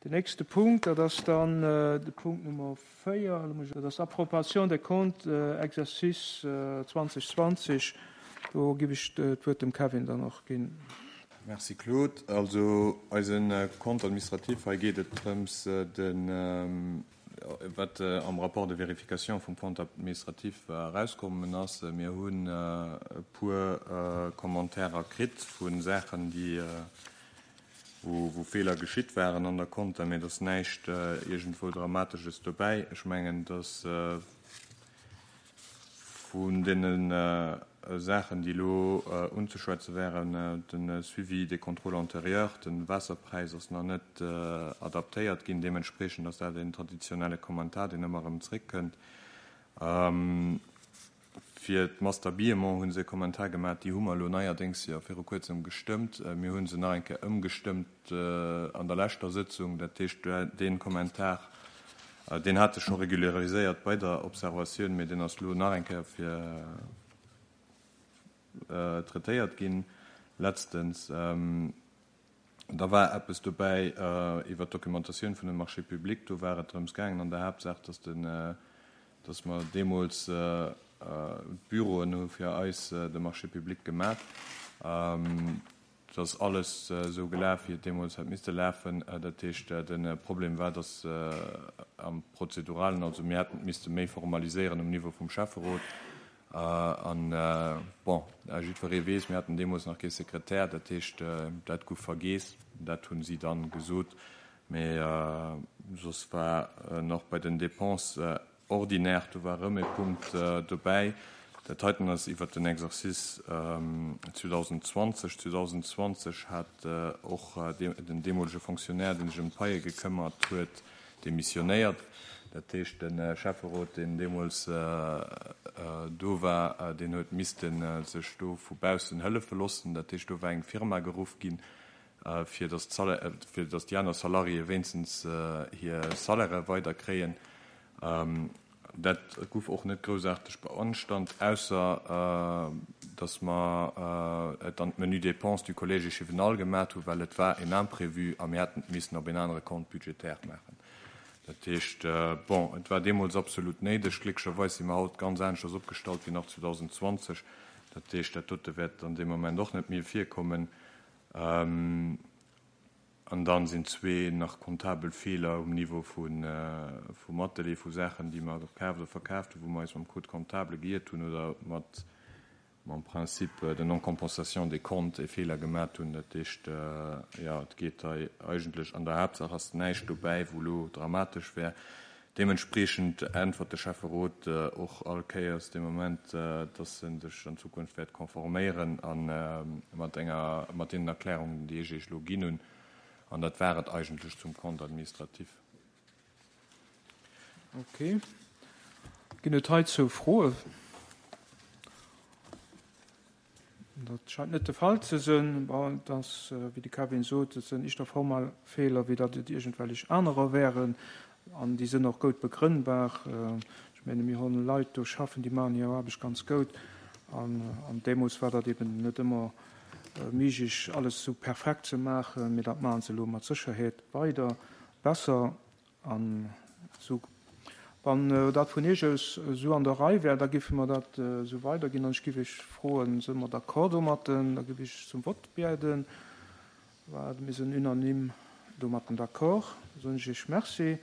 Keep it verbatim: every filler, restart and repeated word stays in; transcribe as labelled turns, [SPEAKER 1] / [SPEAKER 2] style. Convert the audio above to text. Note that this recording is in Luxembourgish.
[SPEAKER 1] Den nächste Punkt, dat ass dann de Punkt Nummer véier, dat ass Approbation des comptes exercice zweitausendzwanzig. Do giff ech d'Wuert dem Kevin dann och ginn.
[SPEAKER 2] Merci Claude. Also eisen Compte administratif, hei geet et drëms, de wat am Rapport de vérification vum Compte administratif erauskommen ass. Mir hunn e puer Commentairer kritt vu Saachen, déi wou, wou Feeler geschitt waren an der Compta, mee et ass näischt iergendwou Dramatesches dobäi. Ech mengen, dass vun deene Saachen, déi elo unzeschwätze wären, de Suivi des contrôles antérieurs, de Waasserpräis ass nach net adaptéiert ginn, deementspreechend ass dat een traditionelle Kommentar, deen ëmmer erëm zréckkënnt. Fir d'Masse d'habillement hu se e Kommentar gemaach, déi hu mer elo neierdéngs jo viru kuerzem gestëmmt. Mir hu se nach eng Kéier ëmgestëmmt an der leschter Sëtzung. Dat heescht, dee Kommentar, deen hate scho regulariséiert bei der Observatioun, mee deen ass elo nach eng Kéier fir traitéiert ginn letztens. Da war eppes dobäi iwwer d'Dokumentatioun vun de Marchés publics. Do war et drëms gaangen an der Haaptsaach, dass den, dass mer deemools d'Büroen hu fir eis de Marché public gemaach. Et ass alles esou gelaf, wéi et deemools hätt misste lafen. Dat heescht, de Problem war, dass am Prozeduralen, also mir hätten et misste méi formaliséieren um Niveau vum Schäfferot. An, bon, jiddweree weess, mir haten deemools nach kee Sekretär, dat heescht, dat gouf vergeess. Dat hu si dann gesot. Mee soss war nach bei den Dépenses ordinaires, do war erëm e Punkt dobäi. Dat heiten ass iwwert den Exercice zweitausendzwanzeg. zweitausendzwanzeg hat och den deemolege Fonctionnaire, dee sech ëm d'Paie gekëmmert huet, demissionéiert. Dat heescht, de Schäfferot, deen deemools do war, deen huet misste sech do vu baussen hëllefe loossen. Dat heescht, do war eng Firma geruff ginn, fir datt fir datt déi aner Salariéë wéinstens hir Salairë weiderkréien. Dat gouf och net groussaarteg beanstand, ausser datt mer et an d'Menu dépenses du Collège échevinal gemat hunn, well et war en Imprévu a mir hätten et missen op en anere Compte budgétaire maachen. Dat heescht, bon, et war deemools absolut néideg. Glécklecherweis si mer haut ganz aneschters opgestallt wéi nach zweitausendzwanzeg. Dat heescht, dat dote wäert an deem Moment och net méi virkommen. An dann sinn zwee nach comptabel Feeler um Niveau vum Atelier, vu Saachen, déi mer gekaaft oder verkaaft hunn, wou mer eis mam Code comptable geiert hunn oder mat mam Principe de non-compensation des comptes e Feeler gemat hunn. Dat heescht, jo, et geet hei eigentlech an der Haaptsaach ass näischt dobäi, wou elo dramatesch wär. Deementspreechend äntwert de Schäfferot och all Kéiers dee Moment, dass en sech an Zukunft wäert konforméieren a mat enger, mat deenen Erklärungen, déi ech Iech elo ginn hunn. An dat war et eigentlech zum Compte administratif.
[SPEAKER 1] Ok. Ginn et heizou Froen? Dat scheint net de Fall ze sinn. Bon, et ass, wéi de Kevin sot, et sinn éischter formal Feeler, wéi datt et iergendwellech anerer wären. An déi sinn och goud begrënnbar. Ech menge mir hunn Leit do schaffen, déi maachen hir Aarbecht ganz goud. An, an deemools war dat eben net ëmmer méiglech, alles esou perfekt ze maachen. Mee dat maache se elo mat Sécherheet weider besser. An esou, wann dat vun Iech aus esou an der Rei wär, da géife mer dat esou weiderginn. An ech géif Iech froen, si mer d'accord domatten? Da géif ech zum Vott bieden. Mir sinn unanime domatten d'accord. Da soen ech Iech Merci.